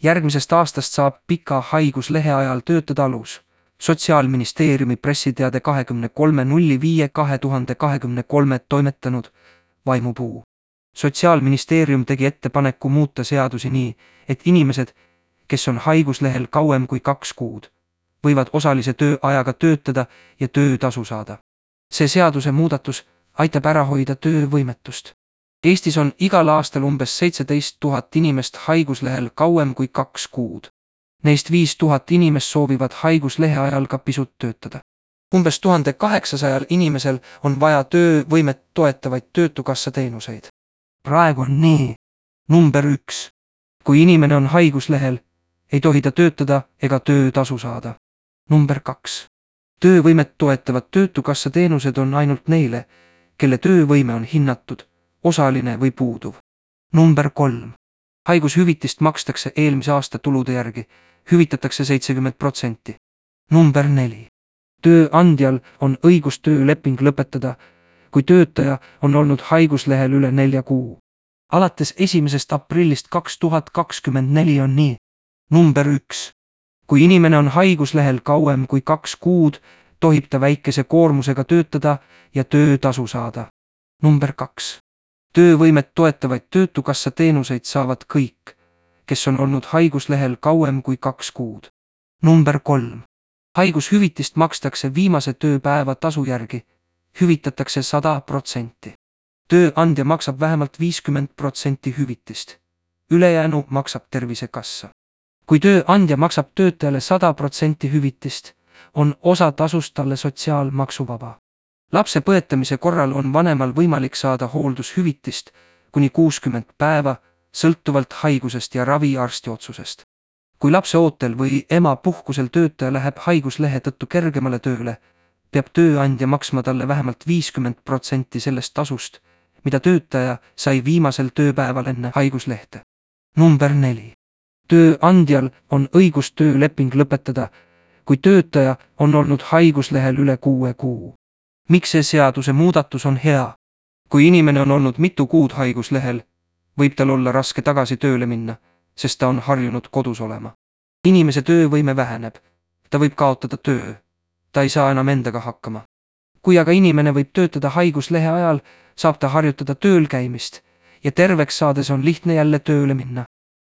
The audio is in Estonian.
Järgmisest aastast saab pika haiguslehe ajal töötada alus. Sotsiaalministeeriumi pressiteade 23.05.2023 toimetanud Vaimupuu. Sotsiaalministeerium tegi ettepaneku muuta seadusi nii, et inimesed, kes on haiguslehel kauem kui 2 kuud, võivad osalise tööajaga töötada ja töötasu saada. See seaduse muudatus aitab ära hoida töövõimetust. Eestis on igal aastal umbes 17 000 inimest haiguslehel kauem kui 2 kuud. Neist 5000 inimest soovivad haiguslehe ajal ka pisut töötada. Umbes 1800 inimesel on vaja töövõimet toetavaid töötukassa teenuseid. Praegu on nii. Number 1. Kui inimene on haiguslehel, ei tohi ta töötada ega töötasu saada. Number 2. Töövõimet toetavad töötukassa teenused on ainult neile, kelle töövõime on hinnatud, osaline või puuduv. Number 3. Haigushüvitist makstakse eelmise aasta tulude järgi, hüvitatakse 70%. Number 4. Tööandjal on õigus tööleping lõpetada, kui töötaja on olnud haiguslehel üle 4 kuu. Alates 1. aprillist 2024 on nii. Number 1. Kui inimene on haiguslehel kauem kui 2 kuud, tohib ta väikese koormusega töötada ja töötasu saada. Number 2. Töövõimet toetavaid töötukassa teenuseid saavad kõik, kes on olnud haiguslehel kauem kui 2 kuud. Number 3. Haigushüvitist makstakse viimase tööpäeva tasu järgi, hüvitatakse 100%. Tööandja maksab vähemalt 50% hüvitist. Ülejäänu maksab Tervisekassa. Kui tööandja maksab töötajale 100% hüvitist, on osa tasust talle sotsiaalmaksuvaba. Lapse põetamise korral on vanemal võimalik saada hooldushüvitist kuni 60 päeva, sõltuvalt haigusest ja raviarsti otsusest. Kui lapse ootel või ema puhkusel töötaja läheb haiguslehe tõttu kergemale tööle, peab tööandja maksma talle vähemalt 50% sellest tasust, mida töötaja sai viimasel tööpäeval enne haiguslehte. Number 4. Tööandjal on õigus tööleping lõpetada, kui töötaja on olnud haiguslehel üle 6 kuu. Miks see seaduse muudatus on hea? Kui inimene on olnud mitu kuud haiguslehel, võib tal olla raske tagasi tööle minna, sest ta on harjunud kodus olema. Inimese töövõime väheneb, ta võib kaotada töö, ta ei saa enam endaga hakkama. Kui aga inimene võib töötada haiguslehe ajal, saab ta harjutada tööl käimist ja terveks saades on lihtne jälle tööle minna.